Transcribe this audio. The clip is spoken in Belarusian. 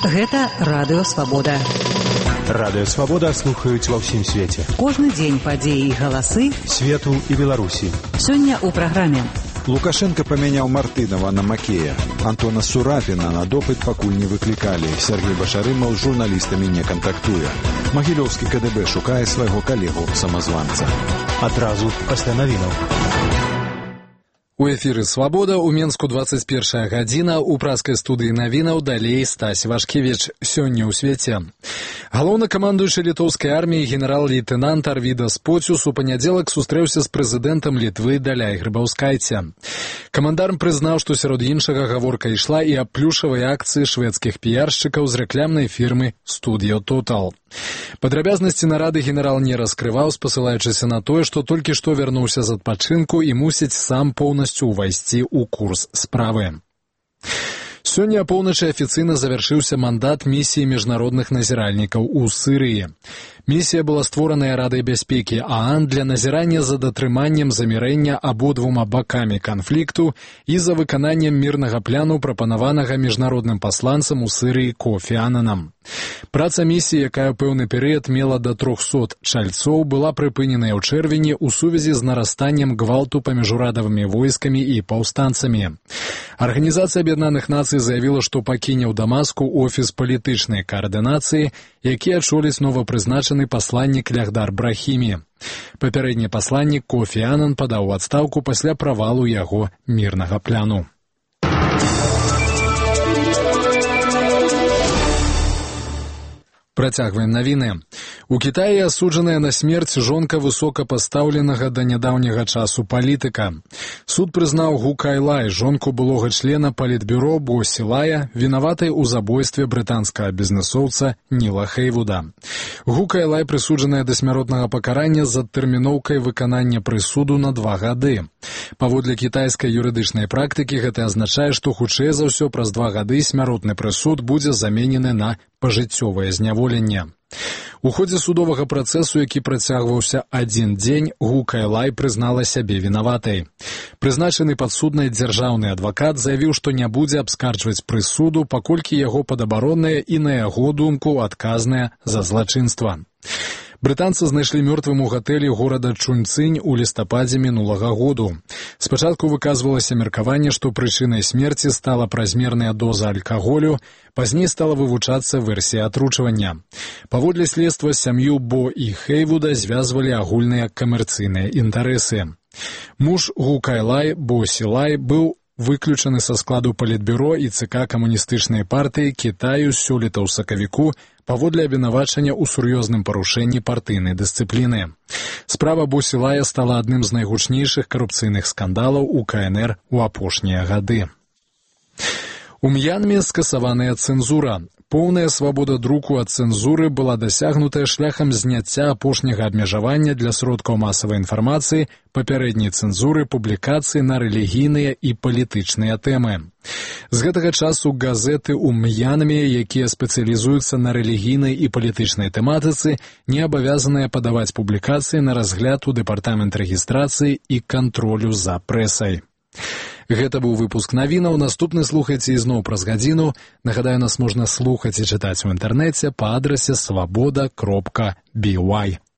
Гэта Радыё Свабода. Радыё Свабода слухаюць ва ўсім свеце. Кожны дзень падзеі і галасы свету і Беларусі. Сёння ў праграме. Лукашенко памяняў Мартынова на Макея. Антона Сурапіна на допыт пакуль не выклікалі. Сергей Башарымаў з журналістамі не кантактуе. Магілёўскі КДБ шукае свайго калегу-самазванца. Адразу пасля навінаў. У эфіры «Свабода», у Менску 21 гадзіна, у праскай студыі навінаў далей Стась Вашкевіч. Сёння ў свеце. Галоўнакамандуючы літоўскай арміі генерал-лейтэнант Арвідас Поціус у панядзелак сустрэўся з прэзідэнтам Літвы Даляй Грыбаўскайце. Камандар прызнаў, што сярод іншага гаворка ішла і аб плюшавай акцыі шведскіх піяршчыкаў з рэклямнай фірмы «Studio Total». Падрабязнасці нарады генерал не раскрываў, спасылаючыся на тое, што толькі што вярнуўся з адпачынку і мусіць сам поўнасцю ўвайсці ў курс справы. Сёння апоўначы афіцыйна завяршыўся мандат місіі міжнародных назіральнікаў у Сырыі. Місія была створаная Радай бяспекі ААН для назірання за датрыманнем замірэння абодвума бакамі канфлікту і за выкананнем мірнага пляну, прапанаванага міжнародным пасланцам у Сырыі Кофі Ананам. Праца місіі, якая ў пэўны перыяд мела да 300 чальцоў, была прыпыненая ў чэрвені ў сувязі з нарастаннем гвалту паміж урадавымі войскамі і паўстанцамі. Арганізацыя Аб'яднаных Нацый заявіла, што пакіне ў Дамаску офіс палітычнай каардынацыі, які ачоліць новапрызначаны пасланнік Лягдар Брахімі. Папярэдні пасланнік Кофі Анан падаў у адстаўку пасля правалу яго мірнага пляну. Працягваем навіны. У Кітаі асуджаная на смерць жонка высокапастаўленага да нядаўняга часу палітыка. Суд прызнаў Гу Кайлай, жонку былога члена палітбюро Бо Сілая, вінаватай у забойстве брытанскага бізнэсоўца Ніла Хейвуда. Гу Кайлай прысуджаная да смяротнага пакарання з адтэрміноўкай выканання прысуду на 2 гады. Паводле кітайскай юрыдычнай практыкі гэта азначае, што хутчэй за ўсё праз 2 гады смяротны прысуд будзе заменены на пажыццёвае зняволенне. У ходзе судовага працэсу, які працягваўся 1 дзень, Гу Кайлай прызнала сябе вінаватай. Прызначаны падсуднай дзяржаўны адвакат заявіў, што не будзе абскарджваць прысуду, паколькі яго падабаронная і, на яго думку, адказная за злачынства. Брытанца знайшлі мёртвым у гатэлі горада Чунцынь у лістападзе мінулага году. Спачатку выказвалася меркаванне, што прычынай смерці стала празмерная доза алкаголю, пазней стала вывучацца версія атручвання. Паводле следства сям'ю Бо і Хейвуда звязвалі агульныя камерцыйныя інтарэсы. Муж Гу Кайлай, Бо Сілай, быў выключаны са складу палітбюро і ЦК камуністычнай партыі Кітаю сёлета ў сакавіку паводле абвінавачання ў сур'ёзным парушэнні партыйнай дысцыпліны. Справа Бо Сілая стала адным з найгучнейшых карупцыйных скандалаў у КНР у апошнія гады. У М'янме скасаваная цэнзура. Поўная свабода друку ад цэнзуры была дасягнутая шляхам зняцця апошняга абмежавання для сродкаў масавай інфармацыі, папярэдняй цэнзуры публікацыі на рэлігійныя і палітычныя тэмы. З гэтага часу газеты ў М'янме, якія спецыялізуюцца на рэлігійнай і палітычнай тэматыцы, не абавязаныя падаваць публікацыі на разгляд у дэпартамент рэгістрацыі і кантролю за прэсай. Гэта быў выпуск навінаў. Наступны слухайце ізноў праз гадзіну. Нагадаю, нас можна слухаць і чытаць у інтэрнэце па адрасе swaboda.by.